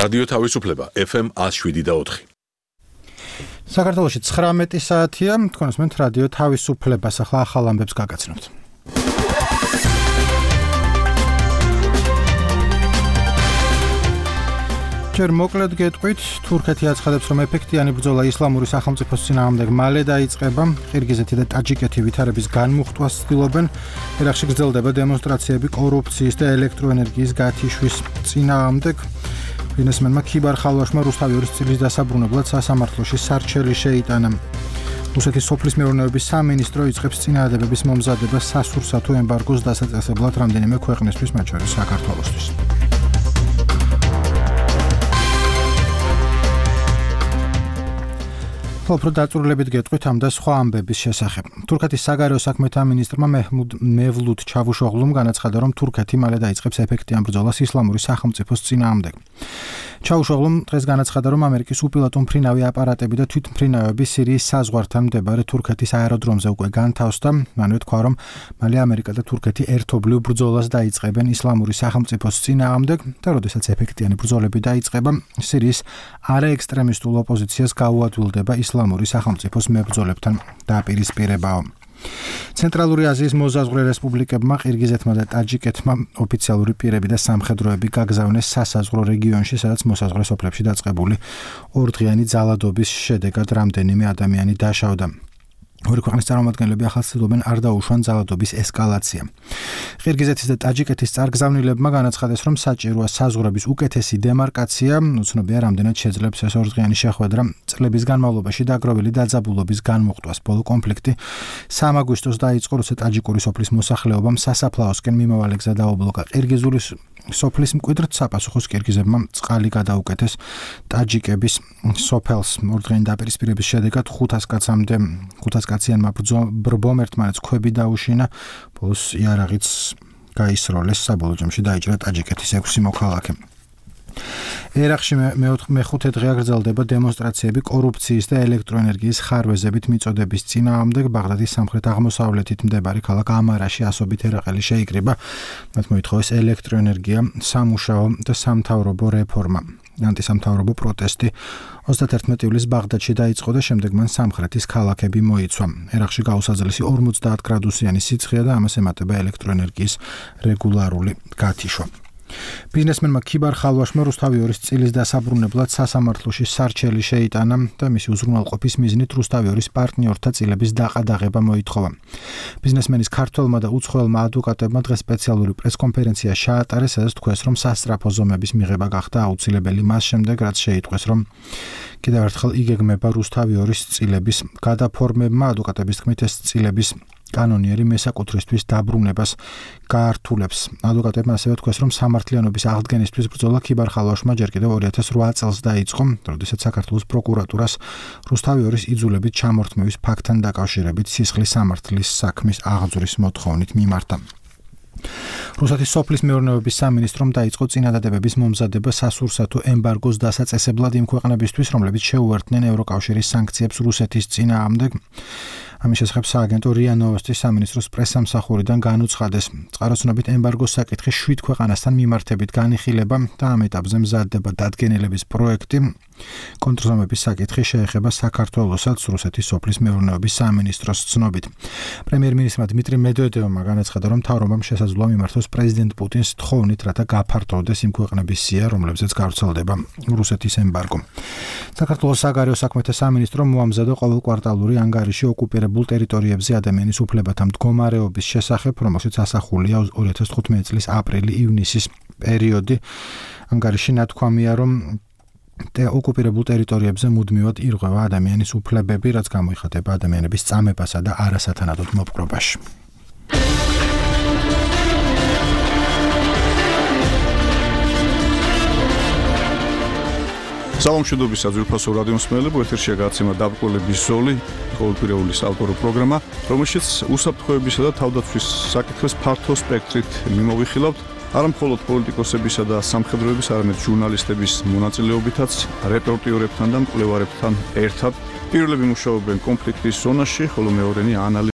რადიო თავისუფლება FM 107.4. საქართველოში 19 საათია, თქვენს მეთ რადიო თავისუფლებას ახლა ახალ ამბებს გაგაცნობთ. ჯერ მოკლედ გეტყვით, თურქეთი აცხადებს, რომ ეფექტიანი ბრძოლა ისლამური სახელმწიფოს წინააღმდეგ მალე დაიწყება. ყირგიზეთი და ტაჯიკეთი ვითარების განმუხტვას ცდილობენ. ერაყში გრძელდება დემონსტრაციები კორუფციის და ელექტროენერგიის გათიშვის წინააღმდეგ. ბიზნესმენმა ქიბარ ხალვაშმა რუსთავი წილის დასაბრუნებლად სასამართლოში სარჩელი შეიტანა. რუსეთის სოფლის მეურნეობის სამინისტრო იწყებს წინააღმდეგობის მომზადებას სასურსათო ემბარგოს დასაწესებლად რამდენიმე ქვეყნისთვის, მათ შორის საქართველოსთვის. უფრო დაწვრილებით გეტყვით ამ და სხვა ამბების შესახებ. თურქეთის საგარეო საქმეთა მინისტრმა მევლუდ ჩავუშოღლუმ განაცხადა, რომ თურქეთი მალე დაიწყებს ეფექტიან ბრძოლას ისლამური სახელმწიფოს წინააღმდეგ. ჩავუშოღლუმ დღეს განაცხადა, რომ ამერიკის უპილოტო მფრინავი აპარატები და თვითმფრინავები სირიის საზღვართან მდებარე თურქეთის აეროდრომზე უკვე განთავსდა. მანვე თქვა, რომ მალე ამერიკა და თურქეთი ერთობლივ ბრძოლას დაიწყებენ ისლამური სახელმწიფოს წინააღმდეგ და როდესაც ეფექტიანი ბრძოლები დაიწყება, სირიის არაექსტრემისტულ ოპოზიციას გაუადვილდება ისლამური სახელმწიფოს მებრძოლებთან დაპირისპირებაო. ცენტრალური აზიის მოზაზღვრე რესპუბლიკებმა ყირგიზეთმა და ტაჯიკეთმა ოფიციალური პირები და სამხედროები გაგზავნეს სასაზღვრო რეგიონში, სადაც მოსაზღვრე სოფლებში დაწყებული ორდღიანი ძალადობის შედეგად რამდენიმე ადამიანი დაშავდა. ორი ქვეყნის წარმომადგენლები ახლა ცდილობენ არ დაუშვან ძალადობის ესკალაცია. ყირგიზეთის და ტაჯიკეთის წარგზავნილებმა განაცხადეს, რომ საჭიროა საზღვრების უკეთესი დემარკაცია, უცნობია რამდენად შეძლებს ეს ორდღიანი შეხვედრა. წლების განმავლობაში დაგროვილი დაძაბულობის განმუხტვას ბოლო კონფლიქტი 3 აგვისტოს დაიწყო რუსეთ-ტაჯიკური სოფლის მოსახლეობამ სასაფლაოსკენ მიმავალი გზა დაუბლოკა ყირგიზული სოფლის მკვიდრთ საპასუხოს ყირგიზებმა წყალი გადაუკეთეს ტაჯიკების სოფელს. ორდღიანი დაპირისპირების შედეგად 500 კაციანმა ბრბომ ერთმანეთს ქვები დაუშინა, ბოლოს იარაღიც გაისროლეს, საბოლოო ჯამში დაიჭრა ტაჯიკეთის 6 მოქალაქე. ერაყში მეხუთე დღეა გრძელდება დემონსტრაციები კორუფციის და ელექტროენერგიის ხარვეზებით მიწოდების წინააღმდეგ. ბაღდადის სამხრეთ-აღმოსავლეთით მდებარე ქალაქ ამარაში ასობით ერაყელი შეიკრიბა. მათ მოითხოვეს ელექტროენერგია, სამუშაო და სამთავრობო რეფორმა. ანტისამთავრობო პროტესტი 31 ივლისს ბაღდადში დაიწყო და შემდეგ მან სამხრეთის ქალაქები მოიცვა. ერაყში გაუსაძლისი 50 გრადუსიანი სიცხეა და ამას ემატება ელექტროენერგიის რეგულარული გათიშვა. ბიზნესმენმა ქიბარ ხალვაშმა რუსთავი წილის დასაბრუნებლად სასამართლოში სარჩელი შეიტანა და მისი უზრუნველყოფის მიზნით რუსთავი პარტნიორთა წილების დაყადაღება მოითხოვა. ბიზნესმენის ქართველმა და უცხოელმა ადვოკატებმა დღეს სპეციალური პრესკონფერენცია ჩაატარეს, სადაც თქვეს, რომ სასწრაფო ზომების მიღება გახდა აუცილებელი მას შემდეგ, რაც შეიტყვეს, რომ კიდევ ერთხელ იგეგმება რუსთავი წილების გადაფორმება. ადვოკატების თქმით, ეს წილების კანონიერი მესაკუთრისთვის დაბრუნებას გაართულებს. ადვოკატებმა ასევე თქვეს, რომ სამართლიანობის აღდგენისთვის ბრძოლა ქიბარ ხალვაშმა ჯერ კიდევ 2008 წელს დაიწყო, როდესაც საქართველოს პროკურატურას რუსთავი იძულებით ჩამორთმევის ფაქტთან დაკავშირებით სისხლის სამართლის საქმის აღძვრის მოთხოვნით მიმართა. რუსეთის სოფლის მეურნეობის სამინისტრომ დაიწყო წინადადებების მომზადება სასურსათო ემბარგოს დასაწესებლად იმ ქვეყნებისთვის, რომლებიც შეუერთდნენ ევროკავშირის სანქციებს რუსეთის წინააღმდეგ. ამის შესახებ სააგენტო რია ნოვოსტის სამინისტროს პრესსამსახურიდან განუცხადეს. წყაროსნობით ემბარგოს საკითხი 7 ქვეყანასთან მიმართებით განიხილება და ამ ეტაპზე მზადდება დადგენილების პროექტი. კონტრზომების საკითხი შეეხება საქართველოსაც რუსეთის სოფლის მეურნეობის სამინისტროს ცნობით. პრემიერ-მინისტრმა დმიტრი მედვედევმა განაცხადა, რომ მთავრობამ შესაძლოა მიმართოს პრეზიდენტ პუტინს თხოვნით, რათა გაფართოვდეს იმ ქვეყნების სია, რომლებზეც გავრცელდება რუსეთის ემბარგო. საქართველოს საგარეო საქმეთა სამინისტრომ მოამზადა ყოველკვარტალური ანგარიში ოკუპირებულ ტერიტორიებზე ადამიანის უფლებათა მდგომარეობის შესახებ, რომელშიც ასახულია 2015 წლის აპრილი-ივნისის პერიოდი. ანგარიში ნათქვამია, რომ ოკუპირებულ ტერიტორიებზე მუდმივად ირღვევა ადამიანის უფლებები, რაც გამოიხატება ადამიანების წამებასა და არასათანადოდ მოპყრობაში. სალამშვიდობის საძვირფასო რადიო მსმენელებო, ეთერშია გადაცემა დაბრკოლების ზოლი, ყოველკვირეული საავტორო პროგრამა, რომელშიც უსაფრთხოებისა და თავდაცვის საკითხებს ფართო სპექტრით მიმოვიხილავთ. არა მხოლოდ პოლიტიკოსებისა და სამხედროების, არამედ ჟურნალისტების მონაწილეობითაც, რეპორტიორებთან და მკვლევარებთან ერთად. პირველები მუშაობენ კონფლიქტის ზონაში, ხოლო მეორენი